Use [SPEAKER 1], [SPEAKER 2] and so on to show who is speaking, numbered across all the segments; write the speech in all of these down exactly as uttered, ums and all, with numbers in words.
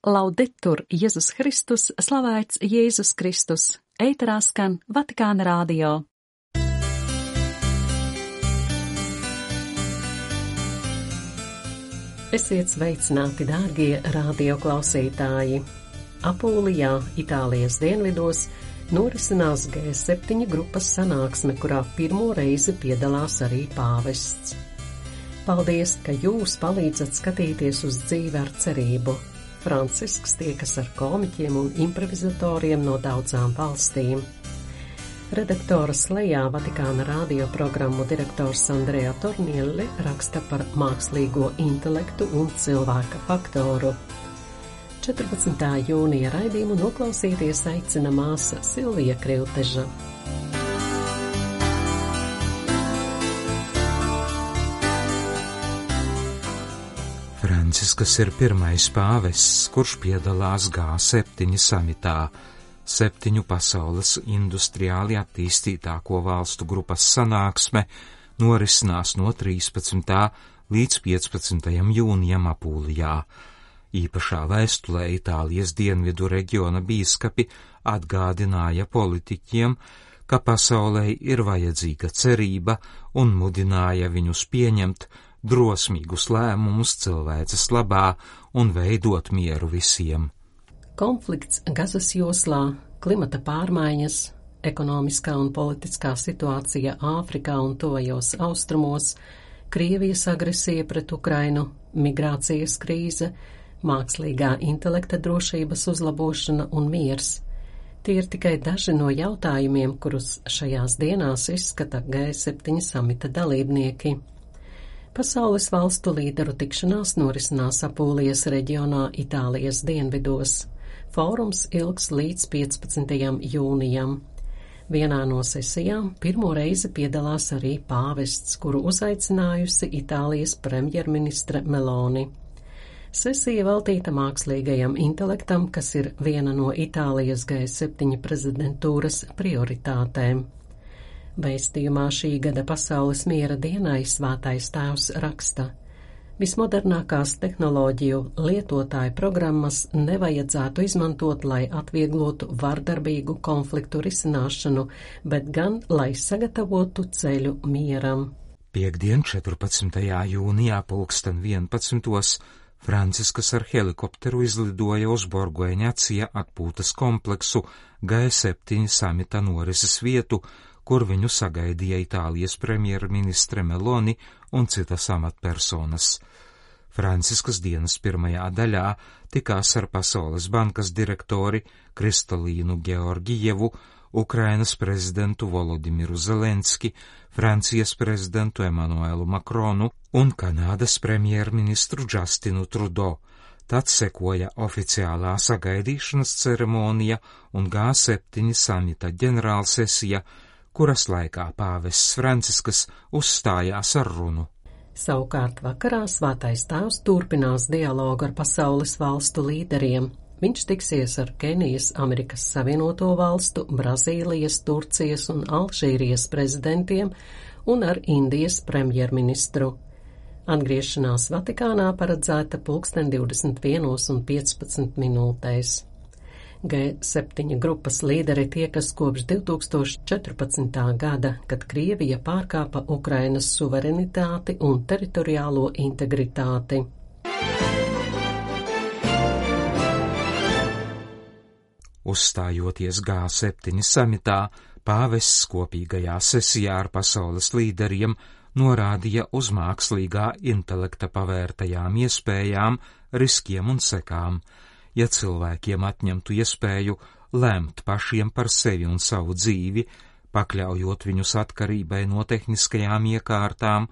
[SPEAKER 1] Laudetur Jēzus Kristus, slavēts Jēzus Kristus, ēterā skan Vatikāna radio. Esiet sveicināti, dārgie radio klausītāji! Apulijā, Itālijas dienvidos, norisinās G septiņi grupas sanāksme, kurā pirmo reizi piedalās arī pāvests. Paldies, ka jūs palīdzat skatīties uz dzīvi ar cerību. Francisks tiekas ar komiķiem un improvizatoriem no daudzām valstīm. Redaktora slejā Vatikāna radio programmu direktors Andrea Tornielli raksta par mākslīgo intelektu un cilvēka faktoru. četrpadsmitā jūnija raidījumu noklausīties aicina māsa Silvija Krivteža.
[SPEAKER 2] Francisks ir pirmais pāvests, kurš piedalās G septiņi samitā, septiņu pasaules industriāli attīstītāko valstu grupas sanāksme norisinās no trīspadsmitā līdz piecpadsmitajam jūnijam Apulijā. Īpašā vēstulē Itālijas dienvidu reģiona bīskapi atgādināja politiķiem, ka pasaulē ir vajadzīga cerība un mudināja viņus pieņemt drosmīgus lēmumus cilvēces labā un veidot mieru visiem.
[SPEAKER 1] Konflikts Gazas joslā, klimata pārmaiņas, ekonomiskā un politiskā situācija Āfrikā un tuvajos austrumos, Krievijas agresija pret Ukrainu, migrācijas krīze, mākslīgā intelekta drošības uzlabošana un miers. Tie ir tikai daži no jautājumiem, kurus šajās dienās izskata G septiņi samita dalībnieki. Pasaules valstu līderu tikšanās norisinās Apulijas reģionā Itālijas dienvidos. Fórums ilgs līdz piecpadsmitajam jūnijam. Vienā no sesijām pirmo reizi piedalās arī pāvests, kuru uzaicinājusi Itālijas premjerministre Meloni. Sesija veltīta mākslīgajam intelektam, kas ir viena no Itālijas G septiņi prezidentūras prioritātēm. Vēstījumā šī gada pasaules miera dienai Svētais Tēvs raksta: vismodernākās tehnoloģiju lietotāju programmas nevajadzētu izmantot, lai atvieglotu vardarbīgu konfliktu risināšanu, bet gan, lai sagatavotu ceļu mieram.
[SPEAKER 2] Piektdien, četrpadsmitajā jūnijā pulksten vienpadsmitos Francisks ar helikopteru izlidoja uz Borgo Eņacija atpūtas kompleksu G septiņi samita norises vietu, kur viņu sagaidīja Itālijas premjerministre Meloni un citas amatpersonas. Francisks dienas pirmajā daļā tikās ar Pasaules bankas direktori Kristalīnu Georgijevu, Ukrainas prezidentu Volodimiru Zelenski, Francijas prezidentu Emanuelu Makronu un Kanādas premjerministru Justinu Trudeau. Tad sekoja oficiālā sagaidīšanas ceremonija un G septiņi samita ģenerālsesija, kuras laikā pāvests Francisks uzstājās ar runu.
[SPEAKER 1] Savukārt vakarā Svētais Tēvs turpinās dialogu ar pasaules valstu līderiem. Viņš tiksies ar Kenijas, Amerikas Savienoto valstu, Brazīlijas, Turcijas un Alžīrijas prezidentiem un ar Indijas premjerministru. Atgriešanās Vatikānā paredzēta pulksten divdesmit vienos un piecpadsmit minūtēs. G septiņi grupas līderi tiekas kopš divi tūkstoši četrpadsmitā gada, kad Krievija pārkāpa Ukrainas suverenitāti un teritoriālo integritāti.
[SPEAKER 2] Uzstājoties G septiņi samitā, pāvests kopīgajā sesijā ar pasaules līderiem norādīja uz mākslīgā intelekta pavērtajām iespējām, riskiem un sekām. Ja cilvēkiem atņemtu iespēju lemt pašiem par sevi un savu dzīvi, pakļaujot viņus atkarībai no tehniskajām iekārtām,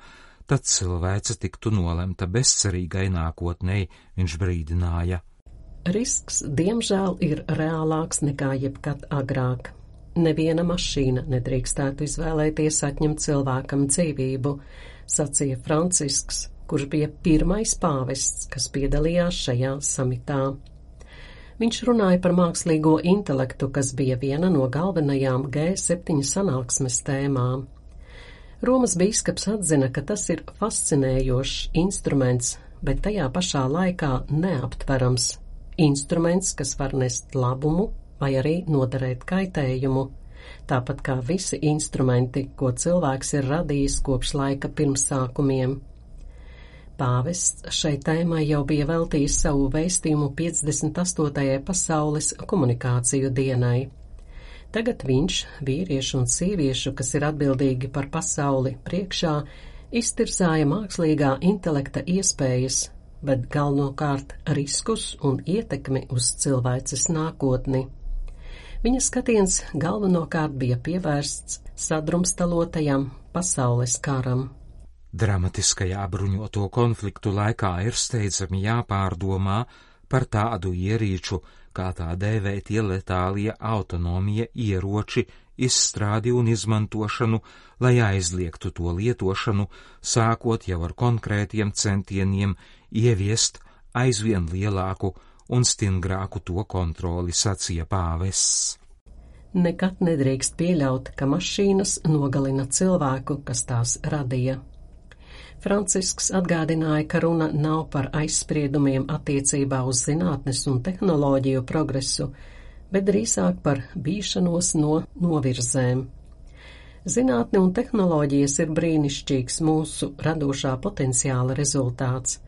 [SPEAKER 2] tad cilvēce tiktu nolemta bezcerīgai nākotnei, viņš brīdināja.
[SPEAKER 1] Risks, diemžēl, ir reālāks nekā jebkad agrāk. Neviena mašīna nedrīkstētu izvēlēties atņemt cilvēkam dzīvību, sacīja Francisks, kurš bija pirmais pāvests, kas piedalījās šajā samitā. Viņš runāja par mākslīgo intelektu, kas bija viena no galvenajām G septiņi sanāksmes tēmām. Romas bīskaps atzina, ka tas ir fascinējošs instruments, bet tajā pašā laikā neaptverams, instruments, kas var nest labumu vai arī nodarēt kaitējumu, tāpat kā visi instrumenti, ko cilvēks ir radījis kopš laika pirmsākumiem. Pāvests šai tēmai jau bija veltījis savu vēstījumu piecdesmit astotajai pasaules komunikāciju dienai. Tagad viņš, vīriešu un sieviešu, kas ir atbildīgi par pasauli priekšā, iztirzāja mākslīgā intelekta iespējas, bet galvenokārt riskus un ietekmi uz cilvēces nākotni. Viņa skatiens galvenokārt bija pievērsts sadrumstalotajam pasaules karam.
[SPEAKER 2] Dramatiskajā bruņoto konfliktu laikā ir steidzami jāpārdomā par tādu ierīču, kā tā dēvētie letālie autonomija ieroči, izstrādi un izmantošanu, lai aizliegtu to lietošanu, sākot jau ar konkrētiem centieniem ieviest aizvien lielāku un stingrāku to kontroli, sacīja pāvests.
[SPEAKER 1] Nekad nedrīkst pieļaut, ka mašīnas nogalina cilvēku, kas tās radīja. Francisks atgādināja, ka runa nav par aizspriedumiem attiecībā uz zinātnes un tehnoloģiju progresu, bet drīzāk par bīšanos no novirzēm. Zinātne un tehnoloģijas ir brīnišķīgs mūsu radošā potenciāla rezultāts,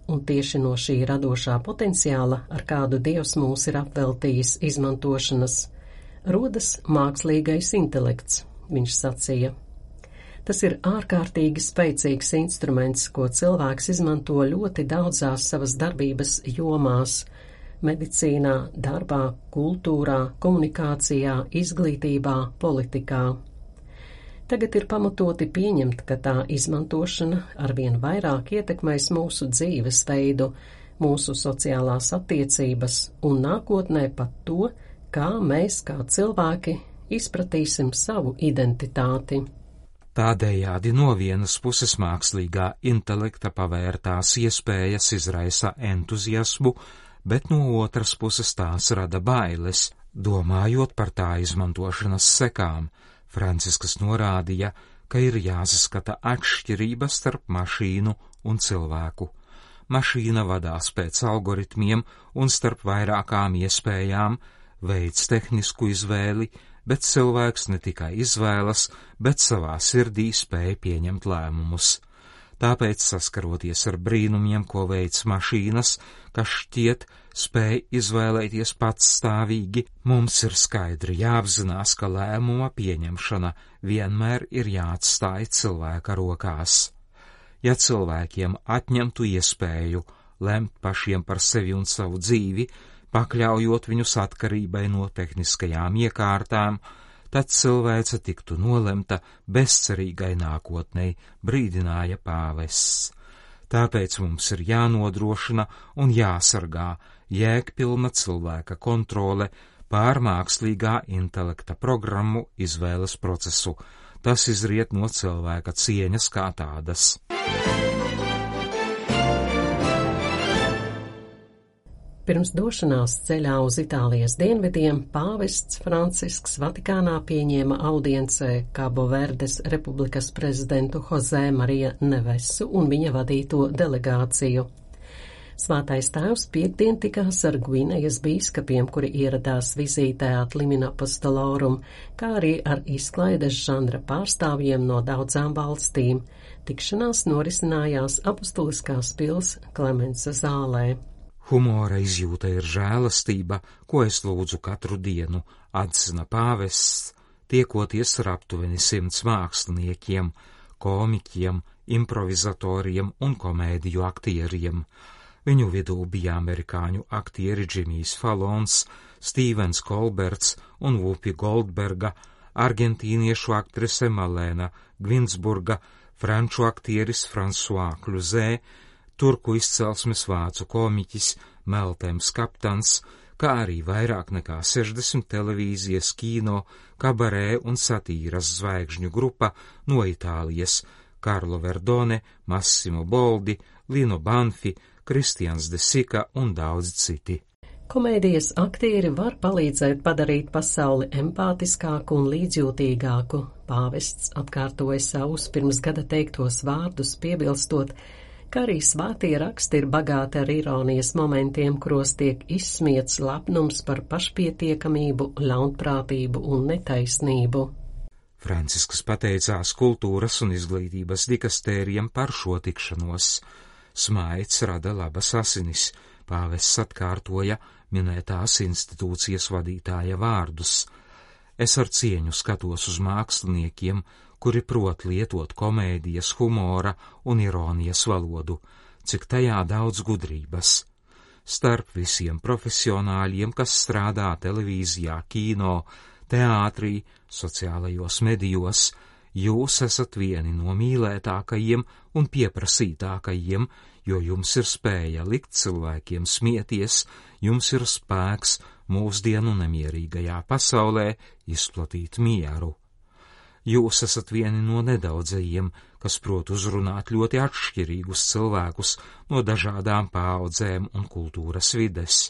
[SPEAKER 1] un tieši no šī radošā potenciāla, ar kādu Dievs mūs ir apveltījis izmantošanas, rodas mākslīgais intelekts, viņš sacīja. Tas ir ārkārtīgi spēcīgs instruments, ko cilvēks izmanto ļoti daudzās savas darbības jomās – medicīnā, darbā, kultūrā, komunikācijā, izglītībā, politikā. Tagad ir pamatoti pieņemt, ka tā izmantošana arvien vairāk ietekmēs mūsu dzīvesveidu, mūsu sociālās attiecības un nākotnē pat to, kā mēs, kā cilvēki, izpratīsim savu identitāti.
[SPEAKER 2] Tādējādi no vienas puses mākslīgā intelekta pavērtās iespējas izraisa entuziasmu, bet no otras puses tās rada bailes, domājot par tā izmantošanas sekām. Francisks norādīja, ka ir jāsaskata atšķirības starp mašīnu un cilvēku. Mašīna vadās pēc algoritmiem un starp vairākām iespējām, veids tehnisku izvēli, bet cilvēks ne tikai izvēlas, bet savā sirdī spēj pieņemt lēmumus. Tāpēc, saskaroties ar brīnumiem, ko veic mašīnas, kas šķiet spēj izvēlēties patstāvīgi, mums ir skaidri jāapzinās, ka lēmuma pieņemšana vienmēr ir jāatstāj cilvēka rokās. Ja cilvēkiem atņemtu iespēju lemt pašiem par sevi un savu dzīvi, pakļaujot viņus atkarībai no tehniskajām iekārtām, tad cilvēce tiktu nolemta bezcerīgai nākotnei, brīdināja pāvests. Tāpēc mums ir jānodrošina un jāsargā jēgpilna cilvēka kontrole pār mākslīgā intelekta programmu izvēles procesu. Tas izriet no cilvēka cieņas kā tādas.
[SPEAKER 1] Pirms došanās ceļā uz Itālijas dienvidiem pāvests Francisks Vatikānā pieņēma audiencē Cabo Verdes republikas prezidentu José Maria Nevesu un viņa vadīto delegāciju. Svētais tēvs piektdien tikās ar Gvinejas bīskapiem, kuri ieradās vizītē at Limina Apostolorum, kā arī ar izklaides žanra pārstāvjiem no daudzām valstīm. Tikšanās norisinājās Apostuliskās pils Klemensa zālē.
[SPEAKER 2] Humora izjūta ir žēlastība, ko es lūdzu katru dienu, atzina pāvests, tiekoties ar aptuveni simts māksliniekiem, komiķiem, improvizatoriem un komēdiju aktieriem. Viņu vidū bija amerikāņu aktieri Džimijs Falons, Stīvens Kolberts un Vupi Goldberga, argentīniešu aktrise Malēna Gvinsburga, franču aktieris François Cluzet, turku izcelsmes vācu komiķis Meltems Kaptans, kā arī vairāk nekā sešdesmit televīzijas, kino, kabarē un satīras zvaigžņu grupa no Itālijas – Karlo Verdone, Massimo Boldi, Lino Banfi, Kristians de Sika un daudz citi.
[SPEAKER 1] Komēdijas aktieri var palīdzēt padarīt pasauli empātiskāku un līdzjūtīgāku. Pāvests atkārtoja savus pirms gada teiktos vārdus, piebilstot, kā arī svētie raksti ir bagāti ar ironijas momentiem, kuros tiek izsmiets lepnums par pašpietiekamību, ļaunprātību un netaisnību.
[SPEAKER 2] Francisks pateicās kultūras un izglītības dikastērijam par šo tikšanos. Smaids rada labas asinis, pāvests atkārtoja minētās institūcijas vadītāja vārdus. Es ar cieņu skatos uz māksliniekiem, kuri prot lietot komēdijas, humora un ironijas valodu, cik tajā daudz gudrības. Starp visiem profesionāļiem, kas strādā televīzijā, kino, teātrī, sociālajos medijos, jūs esat vieni no mīlētākajiem un pieprasītākajiem, jo jums ir spēja likt cilvēkiem smieties, jums ir spēks mūsdienu nemierīgajā pasaulē izplatīt mieru. Jūs esat vieni no nedaudzajiem, kas prot uzrunāt ļoti atšķirīgus cilvēkus no dažādām paaudzēm un kultūras vides.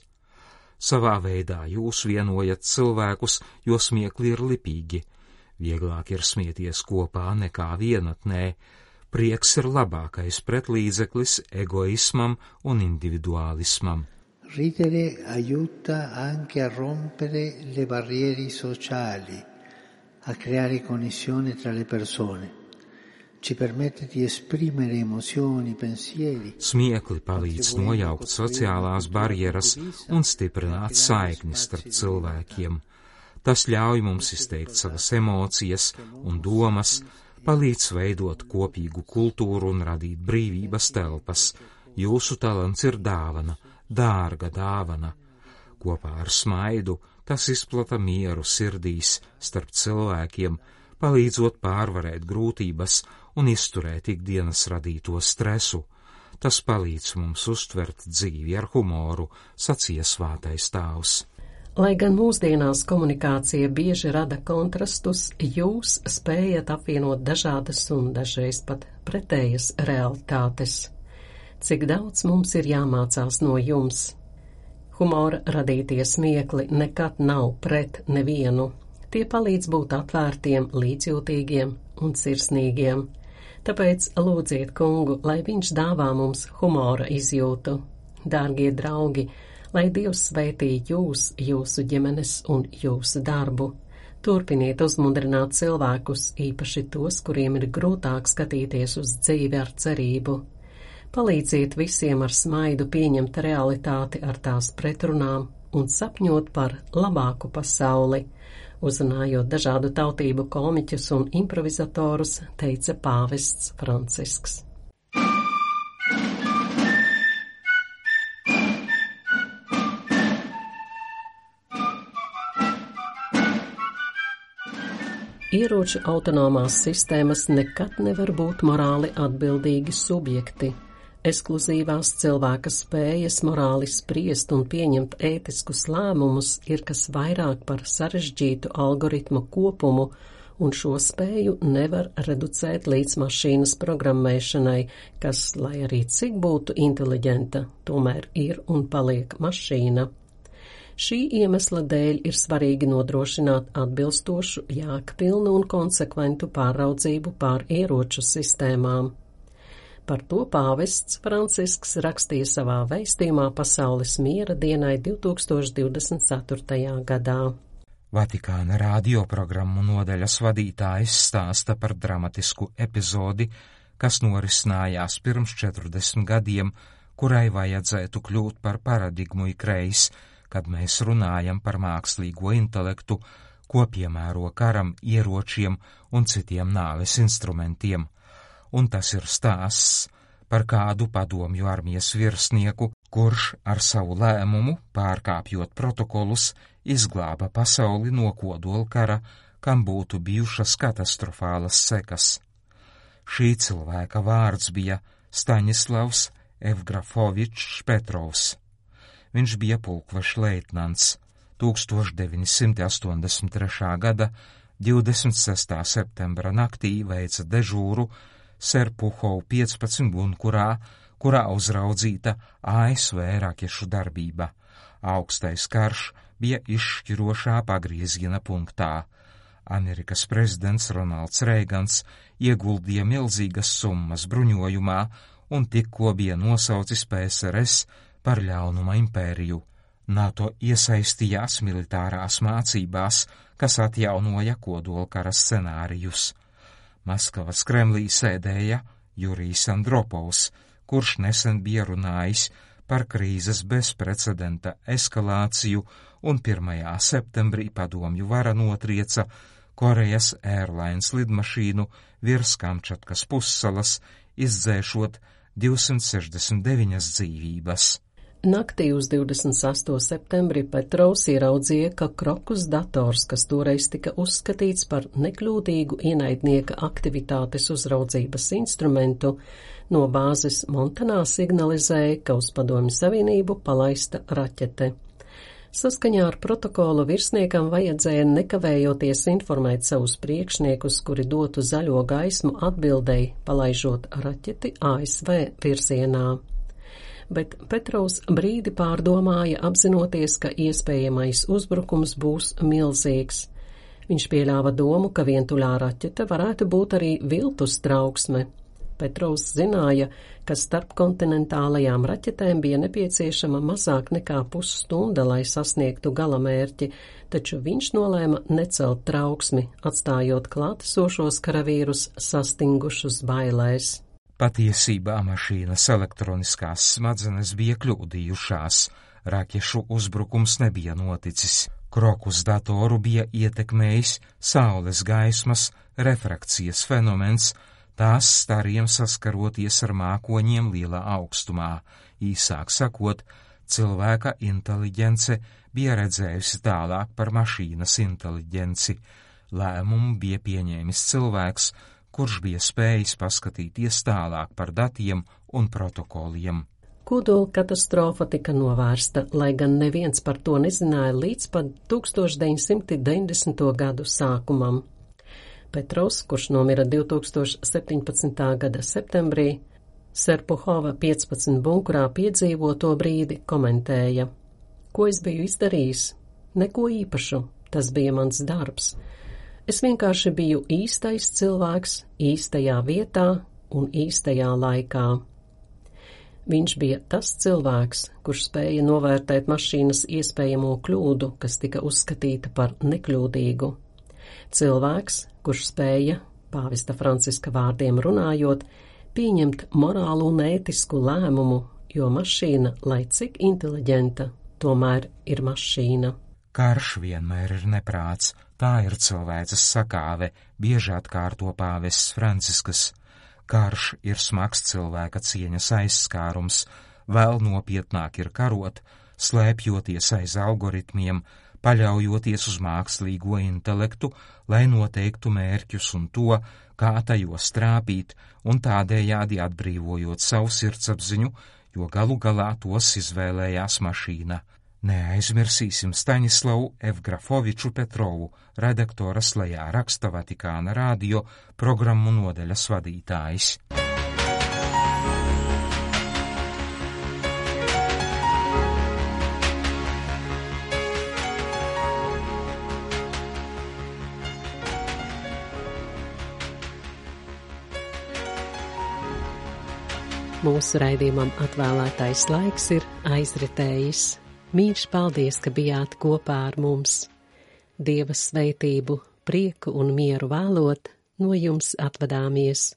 [SPEAKER 2] Savā veidā jūs vienojat cilvēkus, jo smiekli ir lipīgi. Vieglāk ir smieties kopā nekā vienatnē. Prieks ir labākais pretlīdzeklis egoismam un individuālismam.
[SPEAKER 3] Ridere aiuta anche a rompere le barriere sociali, a creare connessione tra le persone. Ci permette di esprimere emozioni, pensieri.
[SPEAKER 2] Smiekli palīdz nojaukt sociālās barjeras un stiprināt saikni starp cilvēkiem. Tas ļauj mums izteikt savas emocijas un domas, palīdz veidot kopīgu kultūru un radīt brīvības telpas. Jūsu talants ir dāvana, dārga dāvana. Kopā ar smaidu tas izplata mieru sirdīs starp cilvēkiem, palīdzot pārvarēt grūtības un izturēt ikdienas radīto stresu. Tas palīdz mums uztvert dzīvi ar humoru, sacīja svētais tēvs.
[SPEAKER 1] Lai gan mūsdienās komunikācija bieži rada kontrastus, jūs spējat apvienot dažādas un dažreiz pat pretējas realitātes. Cik daudz mums ir jāmācās no jums? Humora radītie smiekli nekad nav pret nevienu. Tie palīdz būt atvērtiem, līdzjūtīgiem un sirsnīgiem. Tāpēc lūdziet kungu, lai viņš dāvā mums humora izjūtu. Dārgie draugi, lai Dievs svētī jūs, jūsu ģimenes un jūsu darbu. Turpiniet uzmundrināt cilvēkus, īpaši tos, kuriem ir grūtāk skatīties uz dzīvi ar cerību. Palīdziet visiem ar smaidu pieņemt realitāti ar tās pretrunām un sapņot par labāku pasauli. Uzrunājot dažādu tautību komiķus un improvizatorus, teica pāvests Francisks. Ieroču autonomās sistēmas nekad nevar būt morāli atbildīgi subjekti. Ekskluzīvās cilvēka spējas morāli spriest un pieņemt ētiskus lēmumus ir kas vairāk par sarežģītu algoritmu kopumu, un šo spēju nevar reducēt līdz mašīnas programmēšanai, kas, lai arī cik būtu inteliģenta, tomēr ir un paliek mašīna. Šī iemesla dēļ ir svarīgi nodrošināt atbilstošu, jēgpilnu un konsekventu pāraudzību pār ieroču sistēmām. Par to pāvests Francisks rakstīja savā vēstījumā Pasaules miera dienai divtūkstoš divdesmit ceturtajā gadā.
[SPEAKER 2] Vatikāna radioprogrammu nodaļas vadītājs stāsta par dramatisku epizodi, kas norisinājās pirms četrdesmit gadiem, kurai vajadzētu kļūt par paradigmu ikreiz, kad mēs runājam par mākslīgo intelektu, ko piemēro karam, ieročiem un citiem nāves instrumentiem. Un tas ir stāsts par kādu padomju armijas virsnieku, kurš ar savu lēmumu, pārkāpjot protokolus, izglāba pasauli no kodolkara, kam būtu bijušas katastrofālas sekas. Šī cilvēka vārds bija Staņislavs Evgrafovičs Petrovs. Viņš bija pulkveša leitnants. tūkstoš deviņi simti astoņdesmit trešā gada divdesmit sestā septembra naktī veica dežūru Serpuhov piecpadsmit bunkurā, kurā uzraudzīta A S V rakešu darbība. Augstais karš bija izšķirošā pagrieziena punktā. Amerikas prezidents Ronalds Reigans ieguldīja milzīgas summas bruņojumā un tikko bija nosaucis P S R S par ļaunuma impēriju. NATO iesaistījās militārās mācībās, kas atjaunoja kodolkara scenārijus. Maskavas Kremlī sēdēja Jurijs Andropovs, kurš nesen bija runājis par krīzes bezprecedenta eskalāciju, un pirmajā septembrī padomju vara notrieca Korejas Airlines lidmašīnu virs Kamčatkas pussalas, izdzēšot divsimt sešdesmit deviņas dzīvības.
[SPEAKER 1] Naktī uz divdesmit sesto septembri Petrovs ieraudzīja, ka Krokus dators, kas toreiz tika uzskatīts par nekļūdīgu ienaidnieka aktivitātes uzraudzības instrumentu, no bāzes Montanā signalizēja, ka uz Padomju Savienību palaista raķete. Saskaņā ar protokolu virsniekam vajadzēja nekavējoties informēt savus priekšniekus, kuri dotu zaļo gaismu atbildēji, palaižot raķeti A S V virzienā. Bet Petrovs brīdi pārdomāja, apzinoties, ka iespējamais uzbrukums būs milzīgs. Viņš pieļāva domu, ka vientuļā raķete varētu būt arī viltus trauksme. Petrovs zināja, ka starpkontinentālajām raķetēm bija nepieciešama mazāk nekā pusstunda, lai sasniegtu galamērķi, taču viņš nolēma necelt trauksmi, atstājot klātesošos karavīrus sastingušus bailēs.
[SPEAKER 2] Patiesībā mašīnas elektroniskās smadzenes bija kļūdījušās, raķešu uzbrukums nebija noticis. Krokus datoru bija ietekmējis saules gaismas refrakcijas fenomens, tās stariem saskaroties ar mākoņiem lielā augstumā. Īsāk sakot, cilvēka inteliģence bija redzējusi tālāk par mašīnas inteliģenci. Lēmumu bija pieņēmis cilvēks, kurš bija spējis paskatīties tālāk par datiem un protokoliem.
[SPEAKER 1] Kodola katastrofa tika novērsta, lai gan neviens par to nezināja līdz pat tūkstoš deviņsimt deviņdesmito gadu sākumam. Petrovs, kurš nomira divtūkstoš septiņpadsmitā gada septembrī, Serpuhova piecpadsmit bunkurā piedzīvoto brīdi komentēja: Ko es biju izdarījis? Neko īpašu, tas bija mans darbs. Es vienkārši biju īstais cilvēks, īstajā vietā un īstajā laikā. Viņš bija tas cilvēks, kurš spēja novērtēt mašīnas iespējamo kļūdu, kas tika uzskatīta par nekļūdīgu. Cilvēks, kurš spēja, pāvesta Franciska vārdiem runājot, pieņemt morālu un ētisku lēmumu, jo mašīna, lai cik inteliģenta, tomēr ir mašīna.
[SPEAKER 2] Karš vienmēr ir neprāts, tā ir cilvēces sakāve, bieži atkārto pāvests Franciskas. Karš ir smags cilvēka cieņas aizskārums, vēl nopietnāk ir karot, slēpjoties aiz algoritmiem, paļaujoties uz mākslīgo intelektu, lai noteiktu mērķus un to, kā tajos trāpīt, un tādējādi atbrīvojot savu sirdsapziņu, jo galu galā tos izvēlējās mašīna. Neaizmirsīsim Staņislavu Evgrafoviču Petrovu, redaktoras lejā raksta Vatikāna radio programmu nodaļas vadītājs.
[SPEAKER 1] Mūsu raidījumam atvēlētais laiks ir aizritējis. Mīļš paldies, ka bijāt kopā ar mums. Dieva sveitību, prieku un mieru vēlot, no jums atvadāmies.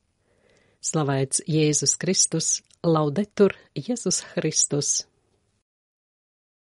[SPEAKER 1] Slavēts Jēzus Kristus, laudetur Jēzus Kristus!